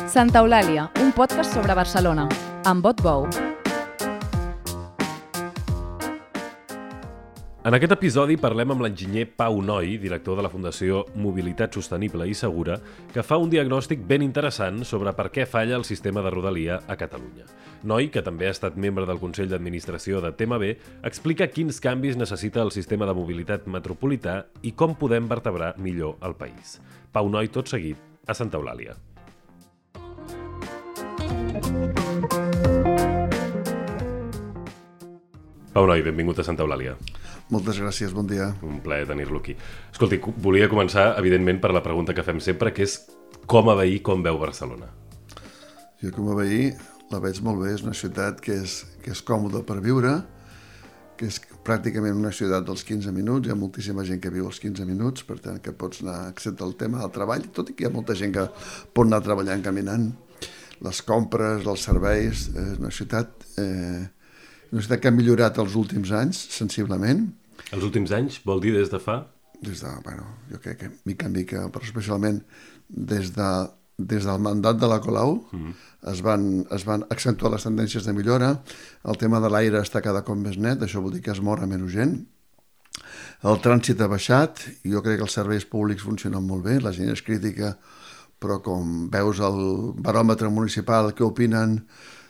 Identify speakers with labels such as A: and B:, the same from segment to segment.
A: Santa Eulàlia, un podcast sobre Barcelona, amb Bot Bou.
B: En aquest episodi parlem amb l'enginyer Pau Noi, director de la Fundació Mobilitat Sostenible i Segura, que fa un diagnòstic ben interessant sobre per què falla el sistema de Rodalia a Catalunya. Noi, que també ha estat membre del Consell d'Administració de TMB, explica quins canvis necessita el sistema de mobilitat metropolità i com podem vertebrar millor el país. Pau Noi, tot seguit, a Santa Eulàlia. Pau Noi, benvingut a Santa Eulàlia.
C: Moltes gràcies, bon dia.
B: Un plaer tenir-lo aquí. Escolti, volia començar, evidentment, per la pregunta que fem sempre, que és com a veí, com veu Barcelona?
C: Jo com a veí la veig molt bé, és una ciutat que és còmoda per viure, que és pràcticament una ciutat dels 15 minuts, hi ha moltíssima gent que viu als 15 minuts, per tant que pots anar, excepte el tema del treball, tot i que hi ha molta gent que pot anar treballant caminant, les compres, els serveis, és una ciutat que ha millorat els últims anys, sensiblement.
B: Els últims anys vol dir des de fa?
C: Des de, jo crec que mica en mica, però especialment des del mandat de la Colau es van accentuar les tendències de millora, el tema de l'aire està cada cop més net, això vol dir que es mor a menys gent, el trànsit ha baixat, i jo crec que els serveis públics funcionen molt bé, la gent és crítica, però com veus el baròmetre municipal que opinen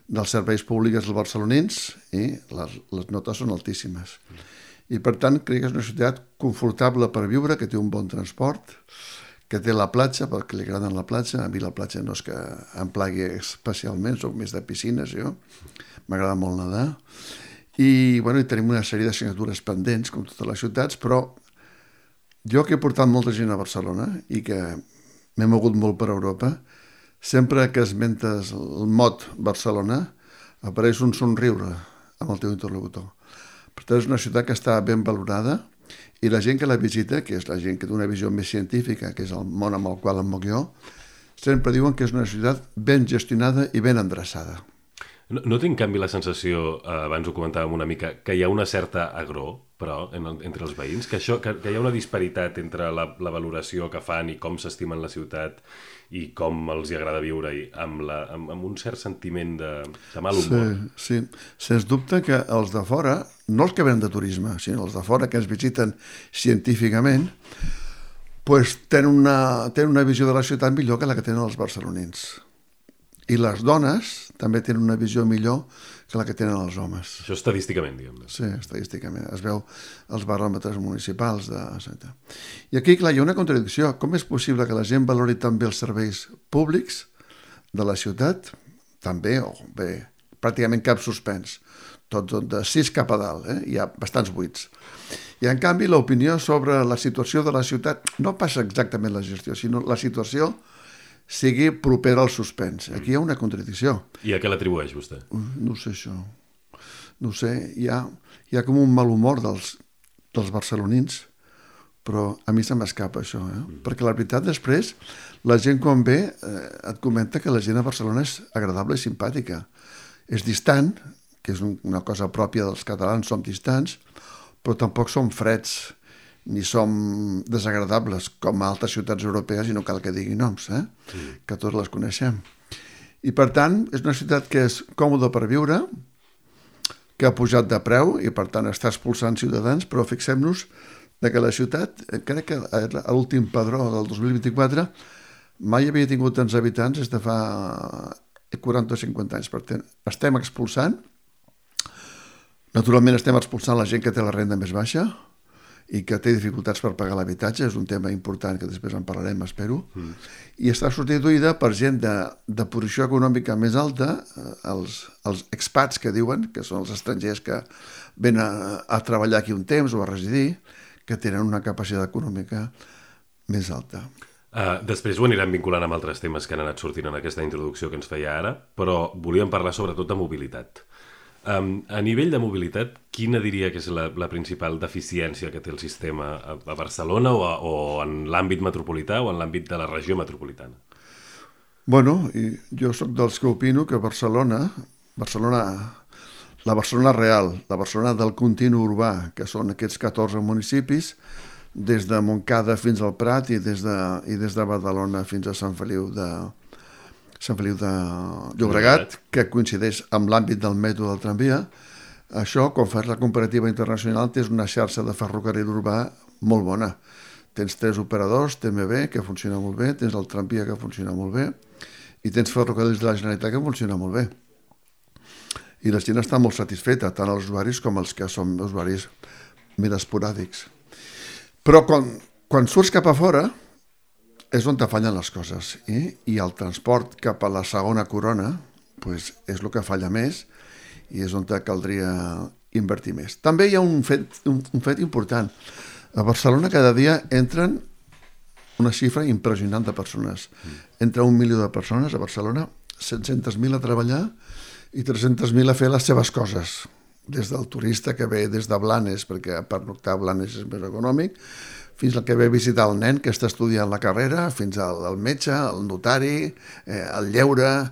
C: dels serveis públics dels barcelonins, i les notes són altíssimes. I per tant crec que és una ciutat confortable per viure, que té un bon transport, que té la platja, perquè li agraden la platja. A mi la platja no és que em plagui especialment, soc més de piscines, jo. M'agrada molt nedar. I tenim una sèrie d'assignatures pendents, com totes les ciutats, però jo que he portat molta gent a Barcelona i que m'he mogut molt per Europa, sempre que esmentes el mot Barcelona, apareix un somriure amb el teu interlocutor. Per tant, és una ciutat que està ben valorada i la gent que la visita, que és la gent que té una visió més científica, que és el món amb el qual em moc jo, sempre diuen que és una ciutat ben gestionada i ben endreçada.
B: No tinc, en canvi, la sensació, abans ho comentàvem una mica, que hi ha una certa agror, però, entre els veïns, que hi ha una disparitat entre la valoració que fan i com s'estimen la ciutat i com els hi agrada viure amb un cert sentiment de mal humor.
C: Sí. Sens dubte que els de fora, no els que venen de turisme, sinó els de fora que ens visiten científicament, tenen una visió de la ciutat millor que la que tenen els barcelonins. I les dones també tenen una visió millor que la que tenen els homes.
B: Això estadísticament, diguem-ne.
C: Sí, estadísticament. Es veu els baròmetres municipals. I aquí, clar, hi ha una contradicció. Com és possible que la gent valori tan bé els serveis públics de la ciutat? També, pràcticament cap suspens. Tot de 6 cap a dalt, hi ha bastants buits. I, en canvi, l'opinió sobre la situació de la ciutat no passa exactament la gestió, sinó la situació sigui propera al suspens. Aquí hi ha una contradicció.
B: I a què l'atribueix vostè?
C: No sé això. No sé, hi ha com un mal humor dels barcelonins, però a mi se m'escapa això, perquè la veritat després, la gent quan ve et comenta que la gent a Barcelona és agradable i simpàtica. És distant, que és una cosa pròpia dels catalans, som distants, però tampoc som freds, ni som desagradables com a altres ciutats europees, i no cal que digui noms, que tots les coneixem. I per tant, és una ciutat que és còmoda per viure, que ha pujat de preu i per tant està expulsant ciutadans, però fixem-nos que la ciutat, crec que a l'últim padró del 2024 mai havia tingut tants habitants des de fa 40 o 50 anys. Per tant, estem expulsant, naturalment estem expulsant la gent que té la renda més baixa i que té dificultats per pagar l'habitatge, és un tema important que després en parlarem, espero, i està substituïda per gent de posició econòmica més alta, els expats que diuen, que són els estrangers que venen a treballar aquí un temps o a residir, que tenen una capacitat econòmica més alta.
B: Després ho anirem vinculant amb altres temes que han anat sortint en aquesta introducció que ens feia ara, però volíem parlar sobretot de mobilitat. A nivell de mobilitat, quina diria que és la principal deficiència que té el sistema a Barcelona o en l'àmbit metropolità o en l'àmbit de la regió metropolitana?
C: Jo sóc dels que opino que Barcelona, la Barcelona real, la Barcelona del continu urbà, que són aquests 14 municipis, des de Montcada fins al Prat i des de Badalona fins a Sant Feliu de Sant Feliu de Llobregat, que coincideix amb l'àmbit del metro del tramvia. Això, quan fas la comparativa internacional, tens una xarxa de ferrocarril urbà molt bona. Tens 3 operadors, TMB, que funciona molt bé, tens el tramvia, que funciona molt bé, i tens ferrocarrils de la Generalitat, que funciona molt bé. I la gent està molt satisfeta, tant els usuaris com els que són usuaris més esporàdics. Però quan surts cap a fora és on te fallen les coses, i el transport cap a la segona corona pues, és el que falla més i és on te caldria invertir més. També hi ha un fet important. A Barcelona cada dia entren una xifra impressionant de persones. Entra 1 milió de persones a Barcelona, 700.000 a treballar i 300.000 a fer les seves coses. Des del turista que ve des de Blanes, perquè pernoctar a Blanes és més econòmic, fins al que ve a visitar el nen que està estudiant la carrera, fins al metge, al notari, al lleure.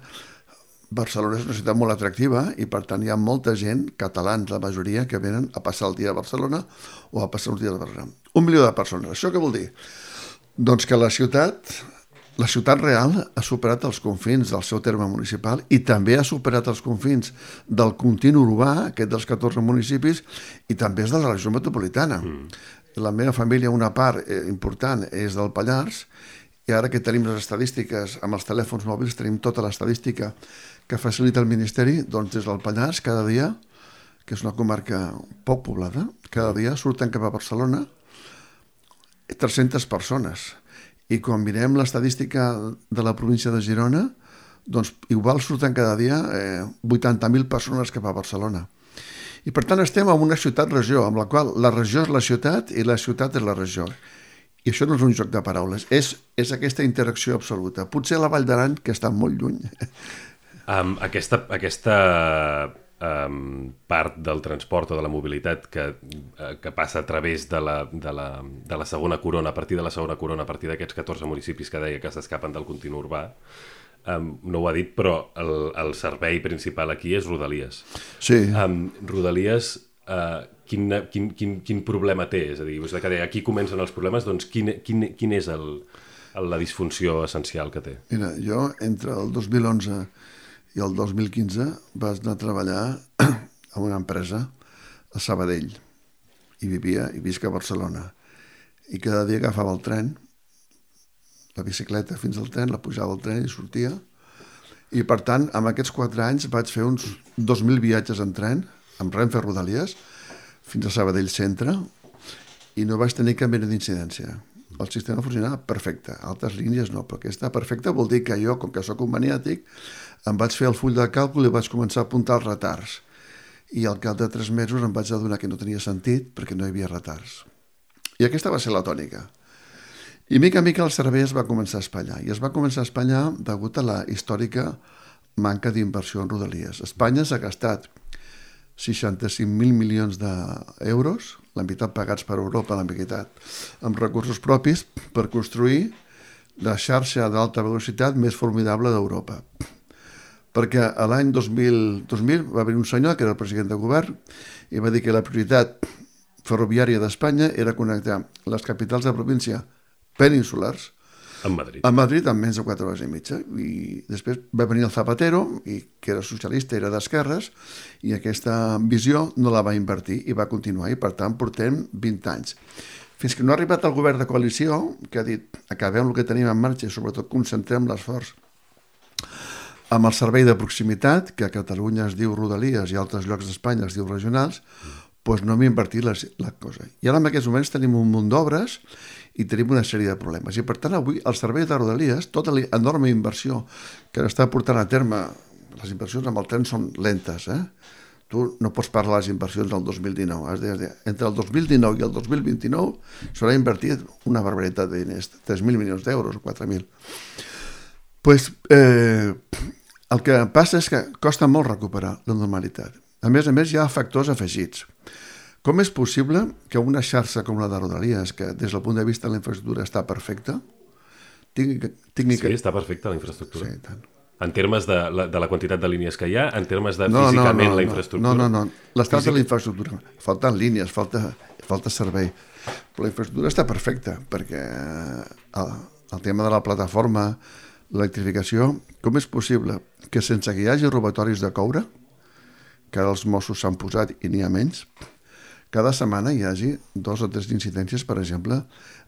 C: Barcelona és una ciutat molt atractiva i, per tant, hi ha molta gent, catalans la majoria, que venen a passar el dia a Barcelona o a passar uns dies a Barcelona. 1 milió de persones. Això què vol dir? Doncs que la ciutat real ha superat els confins del seu terme municipal i també ha superat els confins del continu urbà, aquest dels 14 municipis, i també és de la regió metropolitana. La meva família, una part important, és del Pallars, i ara que tenim les estadístiques amb els telèfons mòbils, tenim tota l'estadística que facilita el Ministeri, doncs des del Pallars, cada dia, que és una comarca poc poblada, cada dia surten cap a Barcelona 300 persones. I quan mirem l'estadística de la província de Girona, doncs igual surten cada dia 80.000 persones cap a Barcelona. I per tant estem en una ciutat-regió, amb la qual la regió és la ciutat i la ciutat és la regió. I això no és un joc de paraules, és aquesta interacció absoluta. Potser la Vall d'Aran, que està molt lluny.
B: Aquesta part del transport o de la mobilitat que passa a través de la segona corona, a partir de la segona corona, a partir d'aquests 14 municipis que deia que s'escapen del continu urbà, no ho ha dit, però el servei principal aquí és Rodalies.
C: Sí.
B: Rodalies, quin problema té? És a dir, aquí comencen els problemes, doncs quin és la disfunció essencial que té?
C: Mira, jo entre el 2011 i el 2015 vaig anar a treballar a una empresa a Sabadell i visc a Barcelona. I cada dia agafava el tren, la bicicleta fins al tren, la pujava al tren i sortia. I, per tant, amb aquests 4 anys vaig fer uns 2.000 viatges en tren, amb Renfe Rodalies, fins a Sabadell Centre, i no vaig tenir cap mena d'incidència. El sistema funcionava perfecte, altres línies no, però aquesta perfecta vol dir que jo, com que soc un maniàtic, em vaig fer el full de càlcul i vaig començar a apuntar els retards. I al cap de 3 mesos em vaig adonar que no tenia sentit perquè no hi havia retards. I aquesta va ser la tònica. I mica en mica el servei es va començar a espatllar. I es va començar a espatllar degut a la històrica manca d'inversió en Rodalies. Espanya s'ha gastat 65.000 milions d'euros, la meitat pagats per Europa, la meitat amb recursos propis, per construir la xarxa d'alta velocitat més formidable d'Europa. Perquè a l'any 2000 va haver un senyor que era el president de govern i va dir que la prioritat ferroviària d'Espanya era connectar les capitals de província peninsulars
B: amb Madrid.
C: A Madrid en menys de 4 hores i mitja. I després va venir el Zapatero, que era socialista, era d'esquerres, i aquesta visió no la va invertir i va continuar, i per tant portem 20 anys. Fins que no ha arribat el govern de coalició, que ha dit acabem el que tenim en marxa i sobretot concentrem l'esforç amb el servei de proximitat, que a Catalunya es diu Rodalies i a altres llocs d'Espanya es diu regionals, doncs no hem invertit la cosa. I ara en aquests moments tenim un munt d'obres i tenim una sèrie de problemes. I per tant avui el servei de Rodalies, tota l'enorme inversió que està portant a terme, les inversions amb el tren són lentes, Tu no pots parlar de les inversions del 2019. Has de, entre el 2019 i el 2029 s'haurà invertit una barbaritat de diners, 3.000 milions d'euros o 4.000. Pues, el que passa és que costa molt recuperar la normalitat. A més, hi ha factors afegits. Com és possible que una xarxa com la de Rodalies, que des del punt de vista de la infraestructura està perfecta, tingui
B: Sí, està perfecta la infraestructura.
C: Sí, tant.
B: En termes de la quantitat de línies que hi ha, en termes de físicament la infraestructura.
C: No. L'estat de la infraestructura. Falten línies, falta servei. Però la infraestructura està perfecta, perquè el tema de la plataforma, l'electrificació, com és possible que sense que hi hagi robatoris de coure, que ara els Mossos s'han posat i n'hi ha menys, cada setmana hi hagi 2 o 3 incidències, per exemple,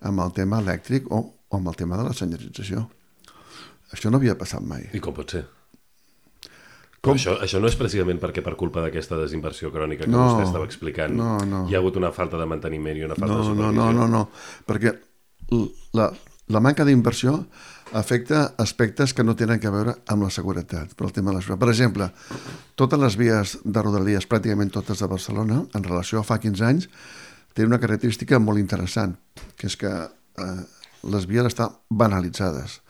C: amb el tema elèctric o amb el tema de la senyalització. Això no havia passat mai.
B: I com pot ser? Això no és precisament perquè per culpa d'aquesta desinversió crònica que vostè estava explicant hi ha hagut una falta de manteniment i una falta de supervisió?
C: No, perquè la manca d'inversió afecta aspectes que no tenen a veure amb la seguretat, per el tema de la seguretat. Per exemple, totes les vies de Rodalies, pràcticament totes de Barcelona, en relació a fa 15 anys, tenen una característica molt interessant, que és que les vies estan banalitzades.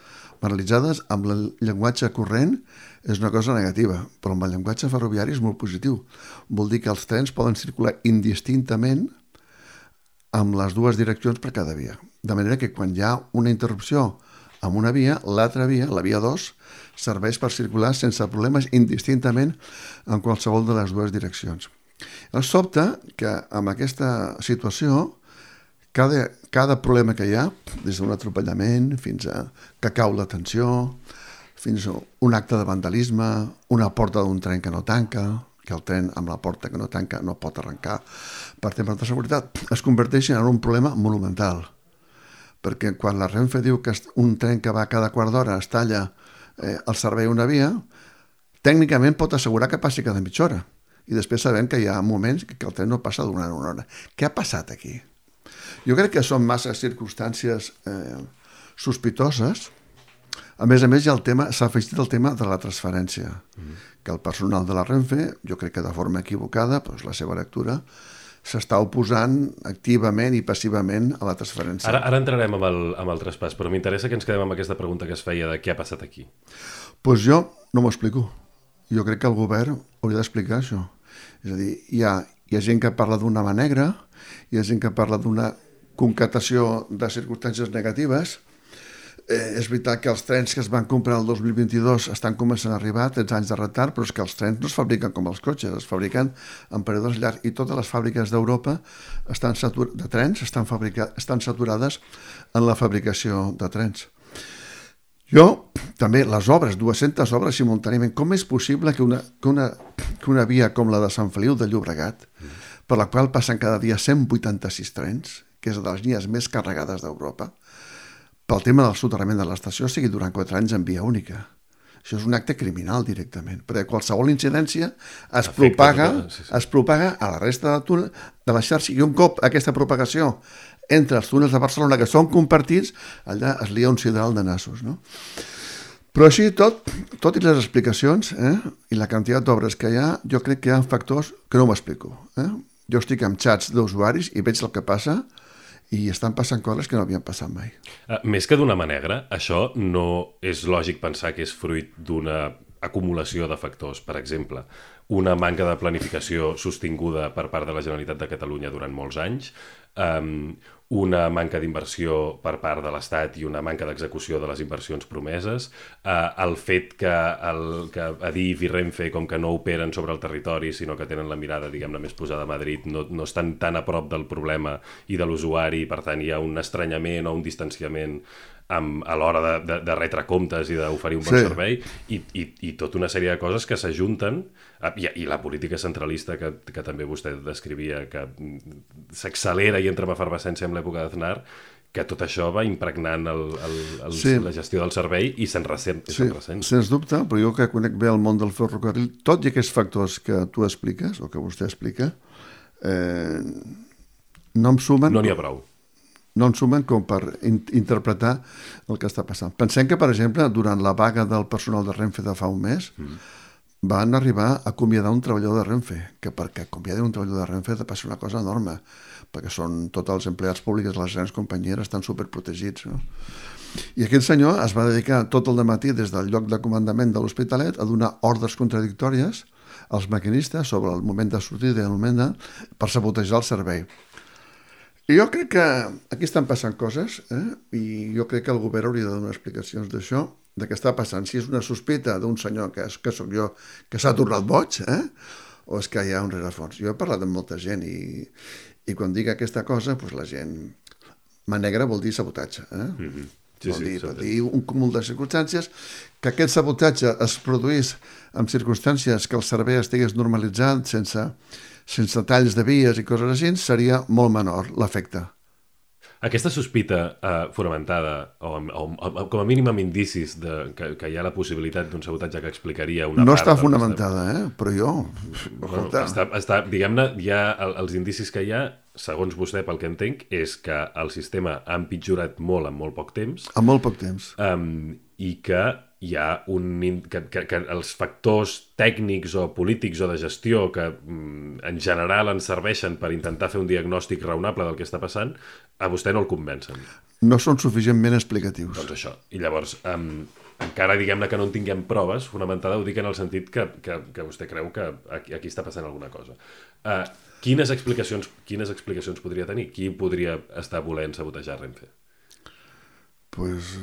C: Banalitzades amb el llenguatge corrent és una cosa negativa, però amb el llenguatge ferroviari és molt positiu. Vol dir que els trens poden circular indistintament amb les 2 direccions per cada via. De manera que quan hi ha una interrupció amb una via, l'altra via, la via 2, serveix per circular sense problemes indistintament en qualsevol de les 2 direccions. El sobte que amb aquesta situació cada problema que hi ha, des d'un atropellament fins a que cau la tensió, fins a un acte de vandalisme, una porta d'un tren que no tanca, que el tren amb la porta que no tanca no pot arrencar per temes de seguretat, es converteix en un problema monumental. Perquè quan la Renfe diu que un tren que va cada quart d'hora es talla el servei a una via, tècnicament pot assegurar que passi cada mitja hora. I després sabem que hi ha moments que el tren no passa durant una hora. Què ha passat aquí? Jo crec que són massa circumstàncies sospitoses. A més, s'ha afegit el tema de la transferència, que el personal de la Renfe, jo crec que de forma equivocada, doncs la seva lectura, s'està oposant activament i passivament a la transferència.
B: Ara entrarem amb el traspàs, però m'interessa que ens quedem amb aquesta pregunta que es feia de què ha passat aquí.
C: Doncs jo no m'ho explico. Jo crec que el govern hauria d'explicar això. És a dir, hi ha gent que parla d'una mà negra, hi ha gent que parla d'una concatació de circumstàncies negatives. És veritat que els trens que es van comprar el 2022 estan començant a arribar, 13 anys de retard, però és que els trens no es fabriquen com els cotxes, es fabriquen en períodes llargs, i totes les fàbriques d'Europa de trens estan saturades en la fabricació de trens. També les obres, 200 obres simultàniament, com és possible que una via com la de Sant Feliu de Llobregat, per la qual passen cada dia 186 trens, que és de les línies més carregades d'Europa, pel tema del soterrament de l'estació sigui durant 4 anys en via única. Això és un acte criminal directament, perquè qualsevol incidència es propaga a la resta de la xarxa, i un cop aquesta propagació entre els túnels de Barcelona, que són compartits, allà es lia un sideral de nassos, no? Però així tot i les explicacions i la quantitat d'obres que hi ha, jo crec que hi ha factors que no m'explico. Jo estic amb xats d'usuaris i veig el que passa, i estan passant coses que no havien passat mai.
B: Més que d'una mà negra, això no és lògic pensar que és fruit d'una acumulació de factors. Per exemple, una manca de planificació sostinguda per part de la Generalitat de Catalunya durant molts anys, una manca d'inversió per part de l'Estat i una manca d'execució de les inversions promeses, el fet que Adif i Renfe, com que no operen sobre el territori, sinó que tenen la mirada, diguem-ne, més posada a Madrid, no estan tan a prop del problema i de l'usuari, per tant hi ha un estranyament o un distanciament a l'hora de retre comptes i d'oferir un bon servei, i tota una sèrie de coses que s'ajunten, i la política centralista que també vostè descrivia, que s'accelera i entra en efervescència en l'època d'Aznar, que tot això va impregnant la gestió del servei i se'n ressent.
C: Sens dubte, però jo que conec bé el món del ferrocarril, tots aquests factors que tu expliques, o que vostè explica, no em sumen...
B: No n'hi ha prou.
C: No en sumen com per interpretar el que està passant. Pensem que, per exemple, durant la vaga del personal de Renfe de fa un mes, van arribar a acomiadar un treballador de Renfe, que perquè acomiadar un treballador de Renfe ha de passar una cosa enorme, perquè són tots els empleats públics de les grans companyies estan superprotegits, no? I aquest senyor es va dedicar tot el dematí des del lloc de comandament de l'Hospitalet a donar ordres contradictòries als maquinistes sobre el moment de sortida i el moment per sabotejar el servei. I jo crec que aquí estan passant coses, i jo crec que el govern hauria de donar explicacions d'això, de què està passant. Si és una sospita d'un senyor que soc jo, que s'ha tornat boig, o és que hi ha un rerefons. Jo he parlat amb molta gent i quan dic aquesta cosa, doncs la gent... Mà negra vol dir sabotatge. Vol dir un cúmul de circumstàncies, que aquest sabotatge es produís en circumstàncies que el servei estigués normalitzat, sense talls de vies i coses així, seria molt menor l'efecte.
B: Aquesta sospita fonamentada, o com a mínim amb indicis que hi ha la possibilitat d'un sabotatge que explicaria una part...
C: No està fonamentada, però jo...
B: Diguem-ne, els indicis que hi ha, segons vostè, pel que entenc, és que el sistema ha empitjorat molt en molt poc temps.
C: En molt poc temps.
B: I que hi ha que els factors tècnics o polítics o de gestió que en general ens serveixen per intentar fer un diagnòstic raonable del que està passant, a vostè no el convencen.
C: No són suficientment explicatius.
B: Doncs això. I llavors, encara diguem-ne que no en tinguem proves fonamentada, ho dic en el sentit que vostè creu que aquí està passant alguna cosa. Quines explicacions podria tenir? Qui podria estar volent sabotejar Renfe?
C: Pues,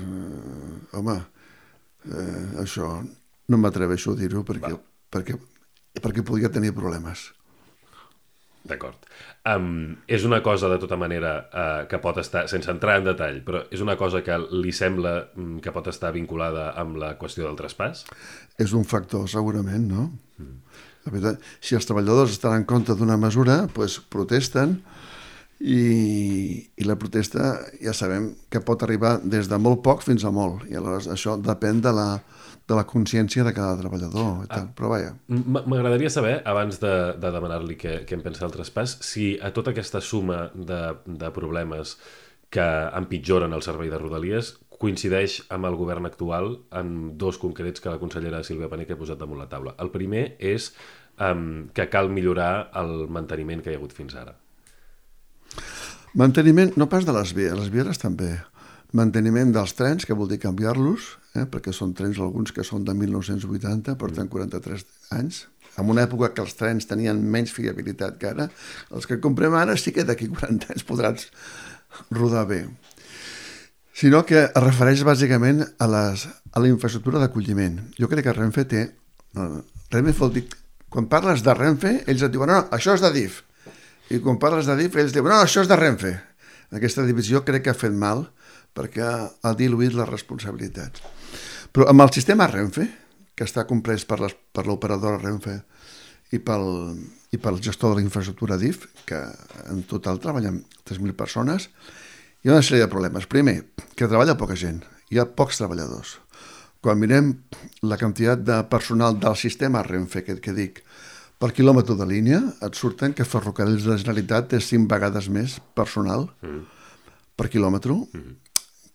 C: home, això no m'atreveixo a dir-ho perquè podria tenir problemes.
B: D'acord. És una cosa, de tota manera, que pot estar, sense entrar en detall, però és una cosa que li sembla que pot estar vinculada amb la qüestió del traspàs?
C: És un factor, segurament, no? La veritat, si els treballadors estan en contra d'una mesura, doncs protesten, i la protesta ja sabem que pot arribar des de molt poc fins a molt, i aleshores això depèn de la consciència de cada treballador i tal. Però vaja.
B: M'agradaria saber, abans de demanar-li què en pensa del traspàs, si a tota aquesta suma de problemes que empitjoren el servei de Rodalies coincideix amb el govern actual en dos concrets que la consellera Sílvia Paneque ha posat damunt la taula. El primer és que cal millorar el manteniment que hi ha hagut fins ara.
C: Manteniment, no pas de les vies estan bé. Manteniment dels trens, que vol dir canviar-los, perquè són trens alguns que són de 1980, porten 43 anys, en una època que els trens tenien menys fiabilitat que ara. Els que comprem ara sí que d'aquí 40 anys podran rodar bé. Sinó que es refereix bàsicament a la infraestructura d'acolliment. Jo crec que Renfe té... Renfe vol dir... Quan parles de Renfe, ells et diuen, no, això és de DIF. I quan parles de DIF, ells diuen, no, això és de Renfe. Aquesta divisió crec que ha fet mal perquè ha diluït les responsabilitats. Però amb el sistema Renfe, que està comprès per l'operadora Renfe i pel gestor de la infraestructura DIF, que en total treballen 3.000 persones, hi ha una sèrie de problemes. Primer, que treballa poca gent, hi ha pocs treballadors. Quan mirem la quantitat de personal del sistema Renfe, que dic, per quilòmetre de línia, et surten que Ferrocarrils de la Generalitat té 5 vegades més personal per quilòmetre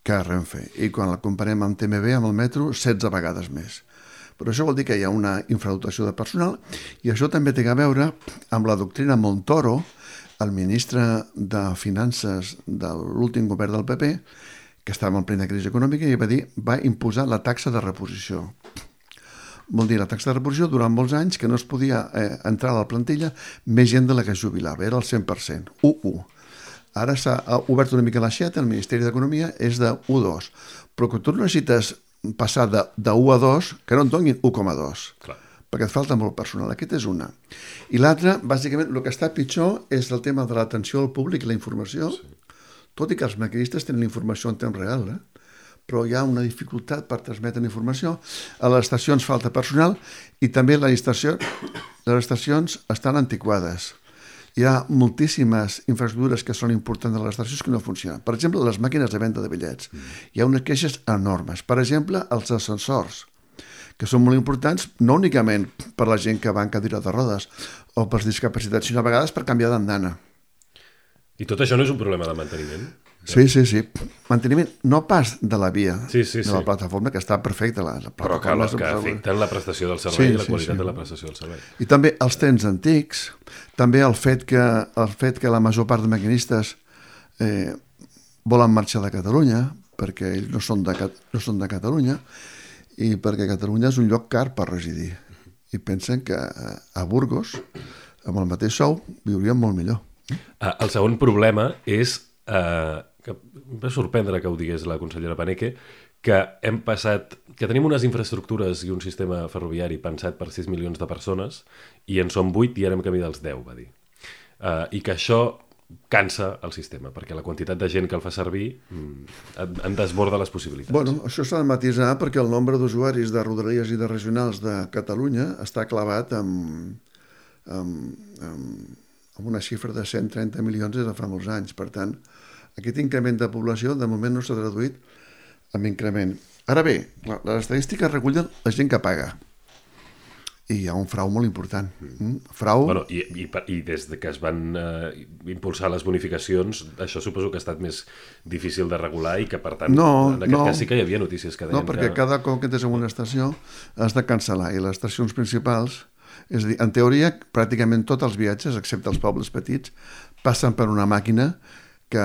C: que Renfe. I quan la comparem amb TMB, amb el metro, 16 vegades més. Però això vol dir que hi ha una infradotació de personal i això també té a veure amb la doctrina Montoro, el ministre de Finances de l'últim govern del PP, que estava en plena crisi econòmica i va imposar la taxa de reposició. Vol dir, la taxa de reposició durant molts anys que no es podia entrar a la plantilla més gent de la que es jubilava, era el 100%, 1-1. Ara s'ha obert una mica l'aixeta, el Ministeri d'Economia és de 1-2, però que tu necessites passar de 1 a 2, que no et donin 1,2, perquè et falta molt personal. Aquest és una. I l'altra, bàsicament, el que està pitjor és el tema de l'atenció al públic i la informació, tot i que els maquinistes tenen la informació en temps real, però hi ha una dificultat per transmetre informació. A les estacions falta personal i també les estacions estan antiquades. Hi ha moltíssimes infraestructures que són importants a les estacions que no funcionen. Per exemple, les màquines de venda de bitllets. Hi ha unes queixes enormes. Per exemple, els ascensors, que són molt importants no únicament per la gent que va en cadira de rodes o per discapacitats, sinó a vegades per canviar d'andana.
B: I tot això no és un problema de manteniment?
C: Sí. Manteniment no pas de la via,
B: de
C: la plataforma, que està perfecta.
B: Però que afecten la prestació del servei i la qualitat de la prestació del servei.
C: I també els trens antics, també el fet que la major part de maquinistes volen marxar de Catalunya, perquè ells no són de Catalunya, i perquè Catalunya és un lloc car per residir. I pensen que a Burgos, amb el mateix sou, viurien molt millor.
B: El segon problema és, que em va sorprendre que ho digués la consellera Paneque, que tenim unes infraestructures i un sistema ferroviari pensat per 6 milions de persones i en som 8 i érem camí dels 10, va dir. I que això cansa el sistema, perquè la quantitat de gent que el fa servir en desborda les possibilitats.
C: Bueno, això s'ha de matisar perquè el nombre d'usuaris de rodalies i de regionals de Catalunya està clavat amb una xifra de 130 milions des de fa molts anys. Per tant, aquest increment de població de moment no s'ha traduït en increment. Ara bé, les estadístiques recullen la gent que paga. I hi ha un frau molt important. Frau...
B: Bueno, i des que es van impulsar les bonificacions, això suposo que ha estat més difícil de regular i que, per tant, en aquest cas sí que hi havia notícies que deien
C: No, perquè cada cop que entres en una estació has de cancel·lar, i les estacions principals, és a dir, en teoria, pràcticament tots els viatges, excepte els pobles petits, passen per una màquina que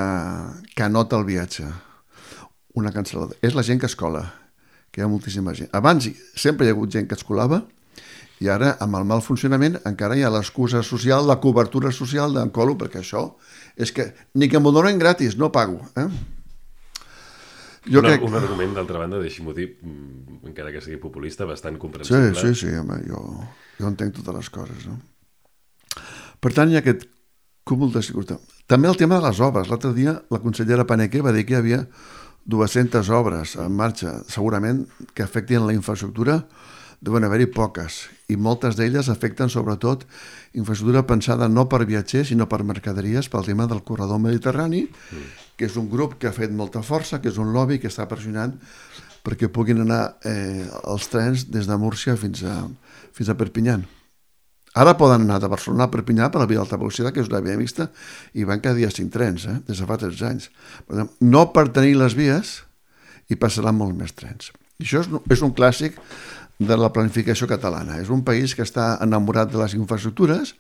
C: anota el viatge. Una cancel·lada. És la gent que es cola, que hi ha moltíssima gent. Abans sempre hi ha hagut gent que es colava, i ara, amb el mal funcionament, encara hi ha l'excusa social, la cobertura social d'en colo, perquè això és que ni que m'ho donen gratis, no pago.
B: Un argument, d'altra banda, deixi-m'ho dir, encara que sigui populista, bastant comprensible.
C: Sí, home, jo entenc totes les coses, no? Per tant, hi ha aquest cúmul de seguretat. També el tema de les obres. L'altre dia la consellera Paneque va dir que hi havia 200 obres en marxa, segurament que afectin la infraestructura. Deuen haver-hi poques, i moltes d'elles afecten sobretot infraestructura pensada no per viatgers, sinó per mercaderies, pel tema del corredor mediterrani, que és un grup que ha fet molta força, que és un lobby que està pressionant perquè puguin anar els trens des de Múrcia fins a Perpinyà. Ara poden anar de Barcelona a Perpinyà per la via d'alta velocitat, que és una via mixta, i van cada dia 5 trens, des de fa 13 anys. No per tenir les vies, i passaran molts més trens. I això és un clàssic de la planificació catalana. És un país que està enamorat de les infraestructures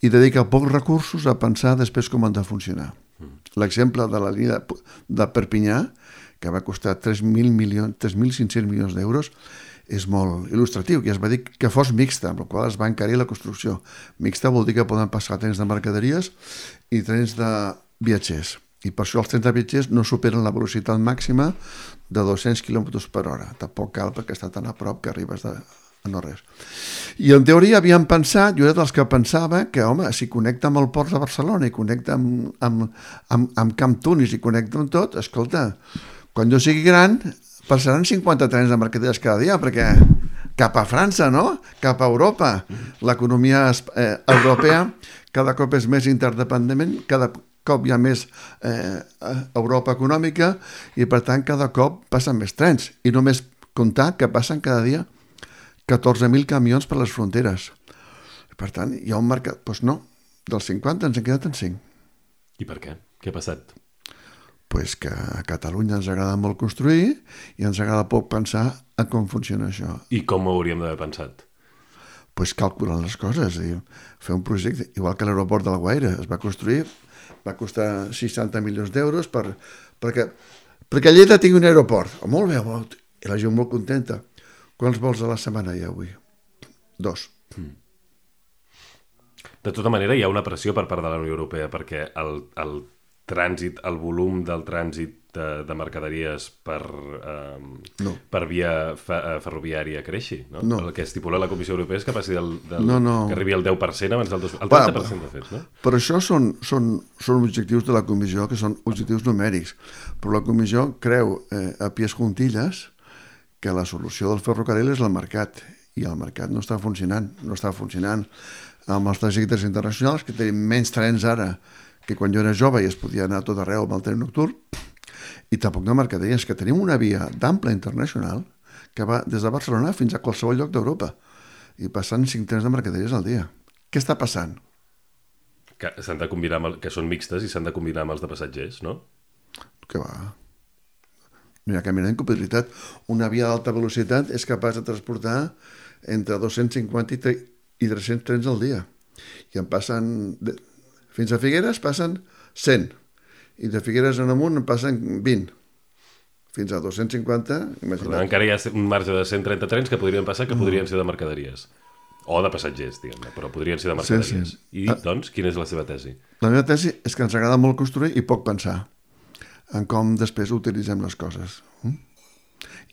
C: i dedica pocs recursos a pensar després com han de funcionar. L'exemple de la línia de Perpinyà, que va costar 3.500 milions d'euros, és molt il·lustratiu, que es va dir que fos mixta, amb la qual es va encarir la construcció. Mixta vol dir que poden passar trens de mercaderies i trens de viatgers. I per això els trens de viatgers no superen la velocitat màxima de 200 km per hora. Tampoc cal, perquè està tan a prop que arribes a no res. I en teoria havíem pensat, jo era dels que pensava que, home, si connecta amb el port de Barcelona i connecta amb Camp Tunis i connecta amb tot, escolta, quan jo sigui gran passaran 50 trens de mercaderies cada dia, perquè cap a França, no? Cap a Europa. L'economia europea cada cop és més interdependent, cada cop hi ha més Europa econòmica i, per tant, cada cop passen més trens. I només comptar que passen cada dia 14.000 camions per les fronteres. Per tant, hi ha un mercat... Doncs no, dels 50 ens hem quedat en 5.
B: I per què? Què ha passat?
C: Pues que a Catalunya ens agrada molt construir i ens agrada poc pensar en com funciona això.
B: I com ho hauríem d'haver pensat?
C: Pues calculant les coses. Fer un projecte, igual que l'aeroport de la Guaira, es va construir, va costar 60 milions d'euros perquè Lleida tingui un aeroport. Molt bé, i la gent molt contenta. Quants vols a la setmana hi ha avui? 2.
B: De tota manera, hi ha una pressió per part de la Unió Europea perquè el trànsit, el volum del trànsit de mercaderies per via ferroviària creixi, no?
C: No.
B: El que estipula la Comissió Europea és que passi que arribi al 10% abans del 2000, el 30% de fet, no?
C: Però això són objectius de la Comissió, que són objectius numèrics. Però la Comissió creu a pies juntilles que la solució del ferrocarril és el mercat, i el mercat no està funcionant. No està funcionant amb els trajectes internacionals, que tenim menys trens ara que quan jo era jove i es podia anar a tot arreu amb el tren nocturn, i tampoc de mercaderies, que tenim una via d'ample internacional que va des de Barcelona fins a qualsevol lloc d'Europa, i passant 5 trens de mercaderies al dia. Què està passant?
B: Que s'han de combinar que són mixtes i s'han de combinar amb els de passatgers, no?
C: Que va. No hi ha cap mena d'incompatibilitat. Una via d'alta velocitat és capaç de transportar entre 250 i 300 trens al dia. I en passen... Fins a Figueres passen 100. I de Figueres en amunt en passen 20. Fins a 250, imagina't.
B: Encara hi ha un marge de 130 trens que podrien passar, que podrien ser de mercaderies. O de passatgers, diguem-ne, però podrien ser de mercaderies. Sí. I, doncs, quina és la seva tesi?
C: La meva tesi és que ens agrada molt construir i poc pensar en com després utilitzem les coses.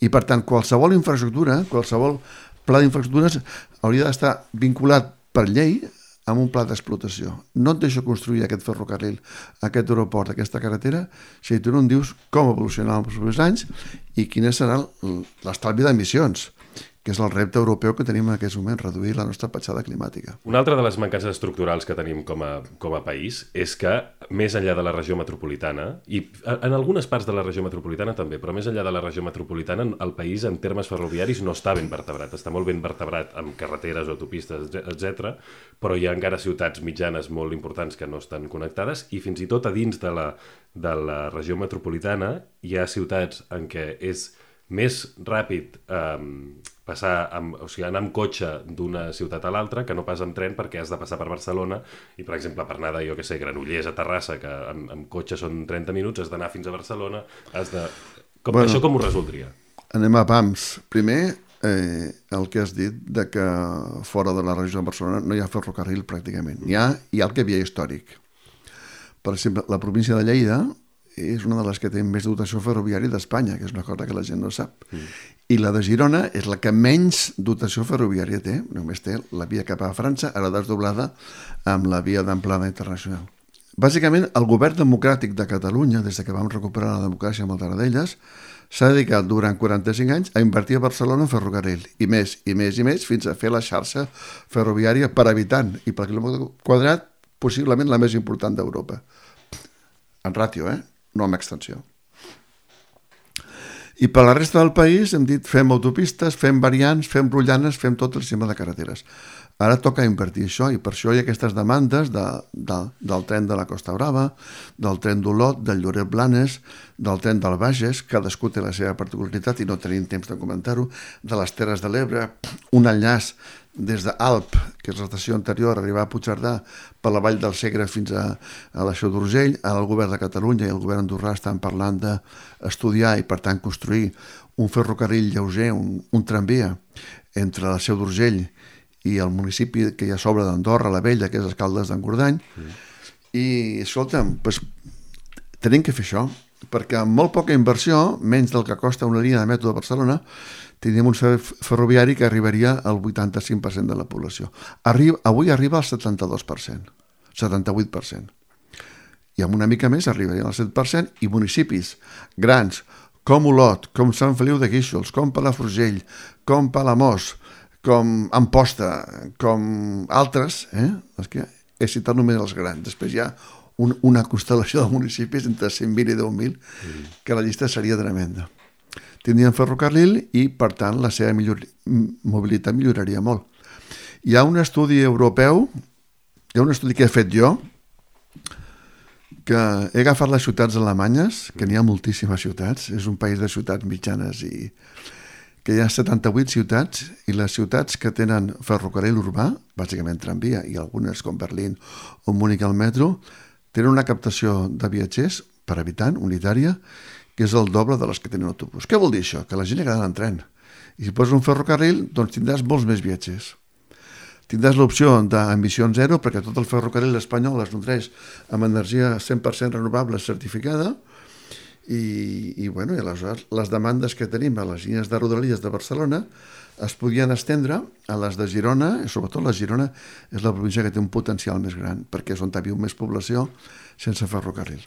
C: I, per tant, qualsevol infraestructura, qualsevol pla d'infraestructures hauria d'estar vinculat per llei amb un pla d'explotació. No et deixo construir aquest ferrocarril, aquest aeroport, aquesta carretera, si tu no em dius com evolucionarà els propers anys i quin serà l'estalvi d'emissions, que és el repte europeu que tenim en aquests moments, reduir la nostra petjada climàtica.
B: Una altra de les mancances estructurals que tenim com a país és que, més enllà de la regió metropolitana, i en algunes parts de la regió metropolitana també, però més enllà de la regió metropolitana, el país en termes ferroviaris no està ben vertebrat. Està molt ben vertebrat amb carreteres, autopistes, etc. Però hi ha encara ciutats mitjanes molt importants que no estan connectades i fins i tot a dins de la regió metropolitana hi ha ciutats en què és més ràpid anar amb cotxe d'una ciutat a l'altra que no pas amb tren, perquè has de passar per Barcelona i, per exemple, per anar de, Granollers a Terrassa, que amb cotxe són 30 minuts, has d'anar fins a Barcelona, Això com ho resoldria?
C: Anem a pams. Primer, el que has dit de que fora de la regió de Barcelona no hi ha ferrocarril pràcticament. Hi ha el que havia històric. Per exemple, la província de Lleida és una de les que té més dotació ferroviària d'Espanya, que és una cosa que la gent no sap. I la de Girona és la que menys dotació ferroviària té, només té la via cap a França, ara desdoblada amb la via d'amplada internacional. Bàsicament, el govern democràtic de Catalunya, des que vam recuperar la democràcia amb el Tarradellas, s'ha dedicat durant 45 anys a invertir a Barcelona en ferrocarril, i més, fins a fer la xarxa ferroviària per habitant i per quilòmetre quadrat, possiblement la més important d'Europa. En ràtio, no amb extensió. I per la resta del país hem dit fem autopistes, fem variants, fem rotllanes, fem tot el sistema de carreteres. Ara toca invertir això i per això hi ha aquestes demandes del tren de la Costa Brava, del tren d'Olot, del Lloret-Blanes, del tren del Bages, cadascú té la seva particularitat i no tenim temps de comentar-ho, de les Terres de l'Ebre, un enllaç des d'Alp, que és l'estació anterior, arribar a Puigcerdà per la Vall del Segre fins a la Seu d'Urgell. Ara el govern de Catalunya i el govern andorrà estan parlant d'estudiar i per tant construir un ferrocarril lleuger, un tramvia entre la Seu d'Urgell i el municipi que hi ha a sobre d'Andorra, la Vella, que és Escaldes d'Engordany. I, escolta'm, tenim que fer això, perquè amb molt poca inversió, menys del que costa una línia de metro de Barcelona, tindríem un ferroviari que arribaria al 85% de la població. Avui arriba al 72%, 78%. I amb una mica més arribaria al 7%, i municipis grans com Olot, com Sant Feliu de Guíxols, com Palafrugell, com Palamós, com Amposta, com altres, és que he citat només els grans. Després hi ha una constel·lació de municipis entre 120 i 10.000, que la llista seria tremenda. Tindrien ferrocarril i, per tant, la seva mobilitat milloraria molt. Hi ha un estudi europeu, hi ha un estudi que he fet jo, que he agafat les ciutats alemanyes, que n'hi ha moltíssimes ciutats, és un país de ciutats mitjanes i que hi ha 78 ciutats, i les ciutats que tenen ferrocarril urbà, bàsicament tramvia, i algunes com Berlín o Múnich al metro, tenen una captació de viatgers per habitant unitària que és el doble de les que tenen autobús. Què vol dir això? Que la gent li agrada en tren. I si poses un ferrocarril, doncs tindràs molts més viatgers. Tindràs l'opció d'emissions zero, perquè tot el ferrocarril espanyol es nodreix amb energia 100% renovable certificada, i aleshores les demandes que tenim a les línies de Rodalies de Barcelona es podien estendre a les de Girona, i sobretot la Girona és la província que té un potencial més gran, perquè és on viu més població sense ferrocarril.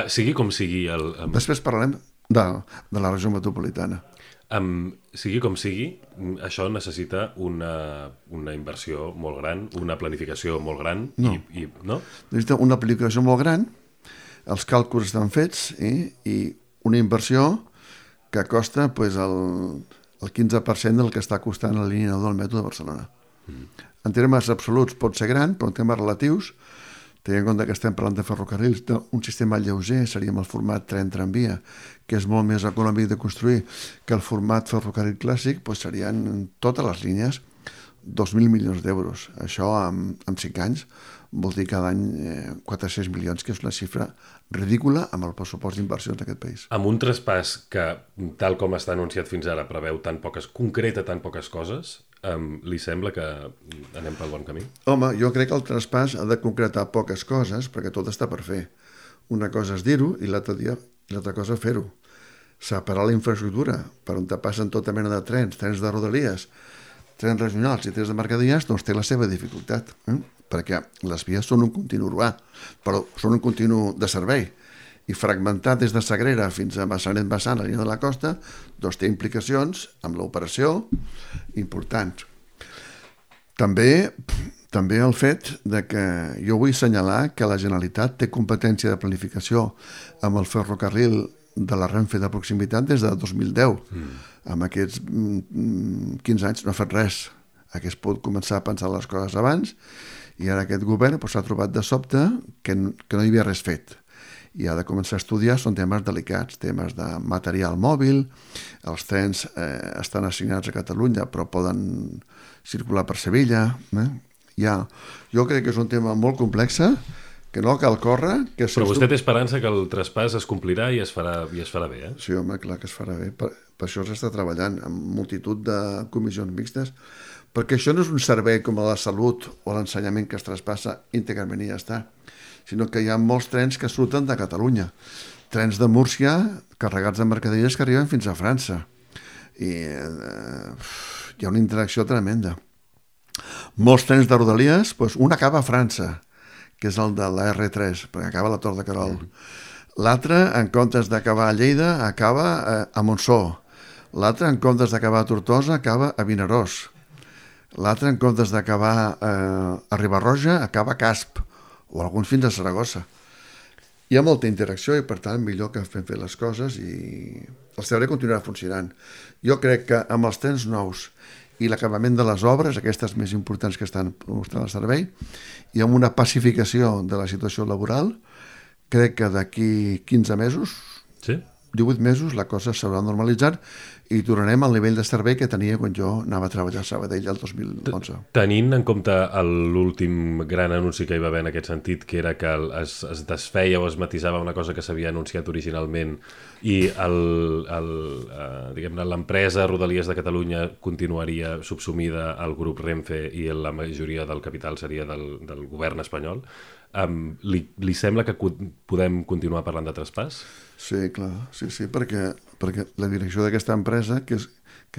B: Sigui com sigui...
C: Després parlarem de la regió metropolitana.
B: Sigui com sigui, això necessita una inversió molt gran, una planificació molt gran.
C: No.
B: No?
C: Necessita una planificació molt gran, els càlculs estan fets, i una inversió que costa el 15% del que està costant la línia 9 del metro de Barcelona. En termes absoluts pot ser gran, però en termes relatius, tenint en compte que estem parlant de ferrocarrils, un sistema lleuger seria amb el format tren-tramvia, que és molt més econòmic de construir que el format ferrocarril clàssic, doncs serien totes les línies 2.000 milions d'euros. Això en 5 anys vol dir cada any 400 milions, que és una xifra ridícula amb el pressupost d'inversions d'aquest país.
B: Amb un traspàs que, tal com està anunciat fins ara, preveu concreta tan poques coses, li sembla que anem pel bon camí?
C: Home, jo crec que el traspàs ha de concretar poques coses, perquè tot està per fer. Una cosa és dir-ho i l'altra cosa fer-ho. Separar la infraestructura per on te passen tota mena de trens de Rodalies, trens regionals i trens de mercaderies, doncs té la seva dificultat, perquè les vies són un continu urbà, però són un continu de servei, i fragmentar des de Sagrera fins a Massanet-Bassant, a la línia de la costa, doncs té implicacions amb l'operació importants. També el fet de que jo vull assenyalar que la Generalitat té competència de planificació amb el ferrocarril de la Renfe de proximitat des de 2010. Amb aquests 15 anys no ha fet res. Hagués pogut començar a pensar les coses abans i ara aquest govern s'ha trobat de sobte que no hi havia res fet. I ha de començar a estudiar, són temes delicats, temes de material mòbil, els trens estan assignats a Catalunya però poden circular per Sevilla. Jo crec que és un tema molt complex, que no cal córrer.
B: Però vostè té esperança que el traspàs es complirà i es farà bé, eh?
C: Sí, home, clar que es farà bé. Per això s'està treballant amb multitud de comissions mixtes, perquè això no és un servei com la salut o l'ensenyament que es traspassa íntegrament i ja està, sinó que hi ha molts trens que surten de Catalunya. Trens de Múrcia carregats de mercaderies que arriben fins a França. I hi ha una interacció tremenda. Molts trens de Rodalies, un acaba a França, que és el de la R3, perquè acaba a la Tor de Querol. L'altre, en comptes d'acabar a Lleida, acaba a Montsó. L'altre, en comptes d'acabar a Tortosa, acaba a Vinaròs. L'altre, en comptes d'acabar a Riba-roja, acaba a Casp, o alguns fins a Saragossa. Hi ha molta interacció i, per tant, millor que fem fer les coses i el servei continuarà funcionant. Jo crec que amb els trens nous i l'acabament de les obres, aquestes més importants que estan mostrant el servei, i amb una pacificació de la situació laboral, crec que d'aquí 15 mesos, 18 mesos, la cosa s'haurà normalitzat i tornarem al nivell de servei que tenia quan jo anava a treballar a Sabadell el 2011.
B: Tenint en compte l'últim gran anunci que hi va haver en aquest sentit, que era que es desfeia o es matisava una cosa que s'havia anunciat originalment i l'empresa Rodalies de Catalunya continuaria subsumida al grup Renfe i la majoria del capital seria del govern espanyol, li sembla que podem continuar parlant de traspàs?
C: Sí, clar, sí, perquè la direcció d'aquesta empresa, que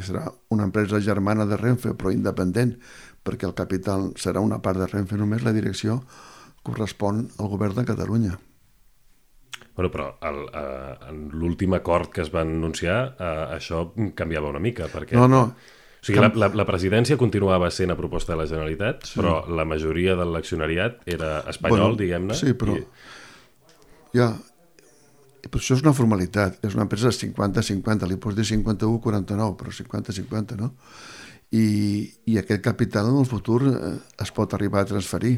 C: serà una empresa germana de Renfe, però independent, perquè el capital serà una part de Renfe només, la direcció correspon al govern de Catalunya.
B: Bueno, però en l'últim acord que es va anunciar, això canviava una mica, perquè...
C: No.
B: O sigui, la presidència continuava sent a proposta de la Generalitat, sí. Però la majoria de l'accionariat era espanyol, diguem-ne.
C: Sí, però... Però això és una formalitat, és una empresa de 50-50, li pots dir 51-49, però 50-50, no? I aquest capital en el futur es pot arribar a transferir.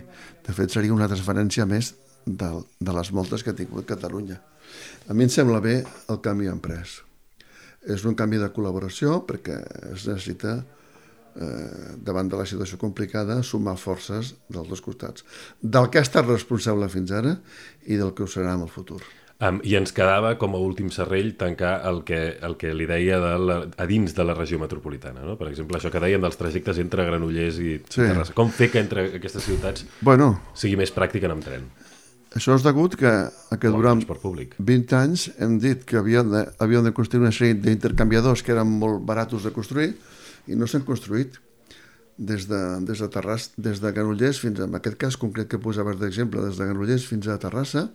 C: De fet, seria una transferència més de les moltes que ha tingut Catalunya. A mi em sembla bé el canvi emprès. És un canvi de col·laboració perquè es necessita, davant de la situació complicada, sumar forces dels dos costats. Del que ha estat responsable fins ara i del que ho serà en el futur.
B: I ens quedava com a últim serrell tancar el que li deia a dins de la regió metropolitana, no? Per exemple, això que dèiem dels trajectes entre Granollers i Terrassa. Com fer que entre aquestes ciutats sigui més pràctic anar amb tren?
C: Això és degut que durant 20 anys hem dit que havíem de construir una sèrie d'intercanviadors que eren molt baratos de construir i no s'han construït des de Terrassa, des de Granollers fins en aquest cas concret que posaves d'exemple, des de Granollers fins a Terrassa.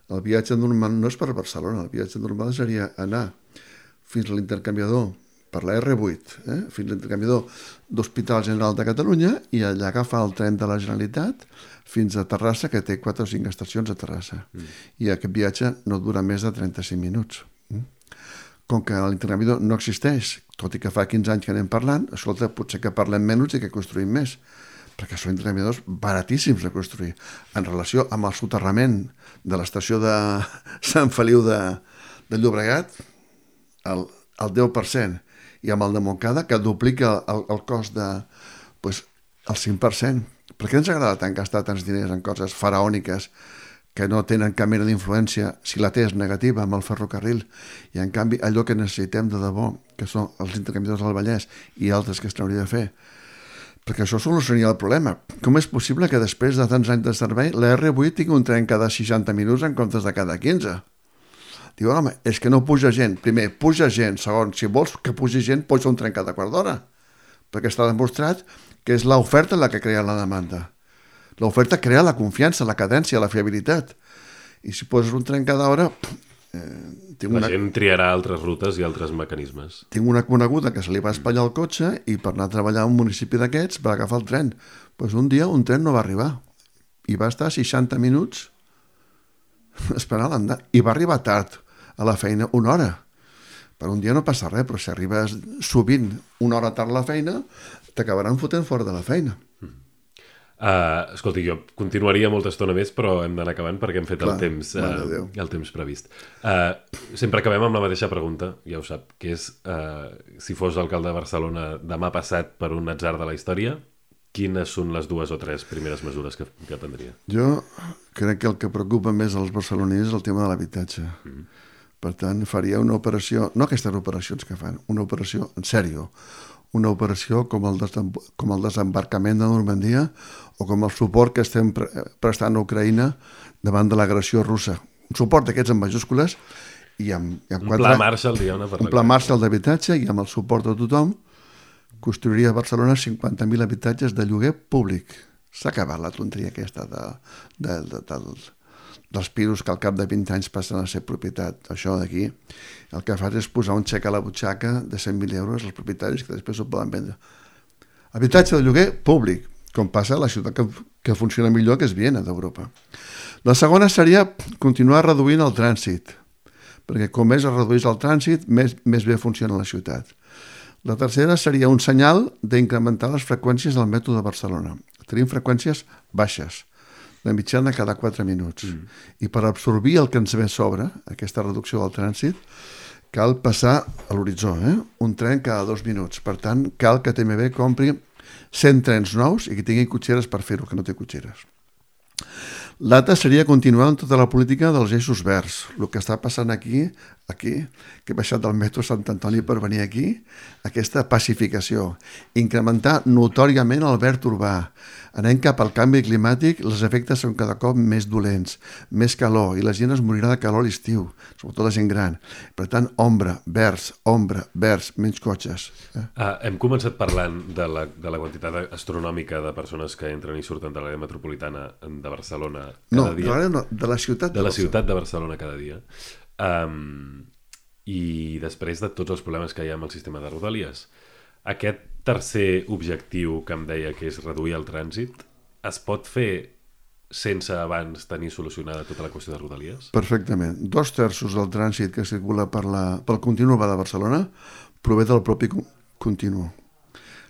C: El viatge normal no és per Barcelona, el viatge normal seria anar fins a l'intercanviador per la R8, fins a l'intercanviador d'Hospital General de Catalunya i allà agafar el tren de la Generalitat fins a Terrassa, que té 4 o 5 estacions a Terrassa. I aquest viatge no dura més de 35 minuts. Com que l'intercanviador no existeix, tot i que fa 15 anys que anem parlant, escolta, potser que parlem menys i que construïm més, perquè són intercanviadors baratíssims de construir. En relació amb el soterrament de l'estació de Sant Feliu de Llobregat, el 10%, i amb el de Montcada, que duplica el cost el 5%. Per què ens agrada tant gastar tants diners en coses faraòniques que no tenen cap mena d'influència, si la té és negativa, amb el ferrocarril, i en canvi allò que necessitem de debò, que són els intercanviadors del Vallès i altres que es n'hauria de fer, perquè això solucionaria el problema. Com és possible que després de tants anys de servei la R8 tingui un tren cada 60 minuts en comptes de cada 15? Diu, home, és que no puja gent. Primer, puja gent. Segon, si vols que pugi gent, posa un tren cada quart d'hora. perquè està demostrat que és l'oferta la que crea la demanda. L'oferta crea la confiança, la cadència, la fiabilitat. I si poses un tren cada hora...
B: La gent triarà altres rutes i altres mecanismes.
C: Tinc una coneguda que se li va espatllar el cotxe i per anar a treballar a un municipi d'aquests va agafar el tren. Pues un dia un tren no va arribar i va estar 60 minuts esperant l'andar. I va arribar tard a la feina, 1 hora. Per un dia no passa res, però si arribes sovint 1 hora tard a la feina, t'acabaran fotent fora de la feina.
B: Escolti, jo continuaria molta estona més, però hem d'anar acabant perquè hem fet el temps previst. Sempre acabem amb la mateixa pregunta, ja ho sap, que és si fos alcalde de Barcelona demà passat per un atzar de la història, quines són les 2 o 3 primeres mesures que prendria? Jo
C: crec que el que preocupa més als barcelonins és el tema de l'habitatge. Per tant, faria una operació, no aquestes operacions que fan, una operació en sèrio, una operació com el desembarcament de Normandia o com el suport que estem prestant a Ucraïna davant de l'agressió russa. Un suport d'aquests en majúscules i amb
B: un pla Marshall, diguem-ne.
C: Un pla Marshall d'habitatge i amb el suport de tothom construiria a Barcelona 50.000 habitatges de lloguer públic. S'ha acabat la tonteria aquesta dels pisos que al cap de 20 anys passen a ser propietat. Això d'aquí el que fas és posar un xec a la butxaca de 100.000 euros als propietaris que després ho poden vendre. Habitatge de lloguer públic, com passa a la ciutat que funciona millor, que és Viena, d'Europa. La segona seria continuar reduint el trànsit, perquè com més es redueix el trànsit, més bé funciona la ciutat. La tercera seria un senyal d'incrementar les freqüències del metro de Barcelona. Tenim freqüències baixes, de mitjana cada 4 minuts. I per absorbir el que ens ve a sobre, aquesta reducció del trànsit, cal passar a l'horitzó, un tren cada 2 minuts. Per tant, cal que TMB compri 100 trens nous i que tingui cotxeres per fer-ho, que no té cotxeres. L'altre seria continuar amb tota la política dels eixos verds. El que està passant aquí, que he baixat del metro Sant Antoni per venir aquí, aquesta pacificació. Incrementar notòriament el verd urbà. Anem cap al canvi climàtic, els efectes són cada cop més dolents, més calor, i la gent es morirà de calor a l'estiu, sobretot la gent gran. Per tant, ombra, verds, menys cotxes.
B: Hem començat parlant de la quantitat astronòmica de persones que entren i surten de l'àrea metropolitana de Barcelona cada dia.
C: No, de la ciutat
B: de la ciutat de Barcelona cada dia. I després de tots els problemes que hi ha amb el sistema de Rodalies, aquest tercer objectiu que em deia, que és reduir el trànsit, es pot fer sense abans tenir solucionada tota la qüestió de Rodalies?
C: Perfectament. 2/3 del trànsit que circula pel continu urbà de Barcelona prové del propi continu.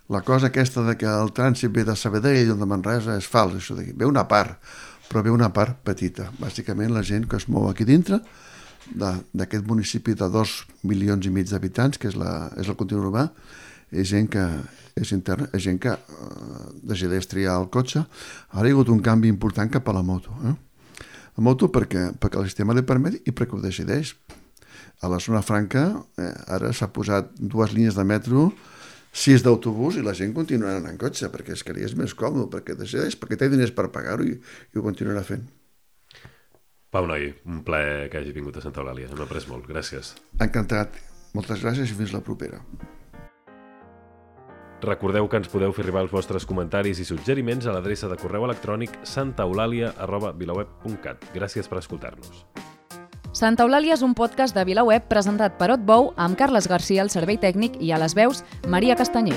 C: La cosa aquesta de que el trànsit ve de Sabadell o de Manresa és fals, això d'aquí. Ve una part, però ve una part petita. Bàsicament la gent que es mou aquí dintre d'aquest municipi de 2,5 milions d'habitants, que és el continu urbà, és gent que és interna, és gent que decideix triar el cotxe. Ara hi ha hagut un canvi important cap a la moto. La moto perquè el sistema li permet i perquè ho decideix. A la zona franca ara s'ha posat 2 línies de metro, 6 d'autobús i la gent continua anant en cotxe perquè és que li és més còmode, perquè decideix, perquè té diners per pagar-ho i ho continuarà fent.
B: Pau Noi, un plaer que hagi vingut a Santa Eulàlia. Hem après molt. Gràcies.
C: Encantat. Moltes gràcies i fins la propera.
B: Recordeu que ens podeu fer arribar els vostres comentaris i suggeriments a l'adreça de correu electrònic santaeulalia@vilaweb.cat. Gràcies per escoltar-nos.
A: Santa Eulàlia és un podcast de VilaWeb presentat per Otbou amb Carles Garcia al servei tècnic i a les veus Maria Castanyer.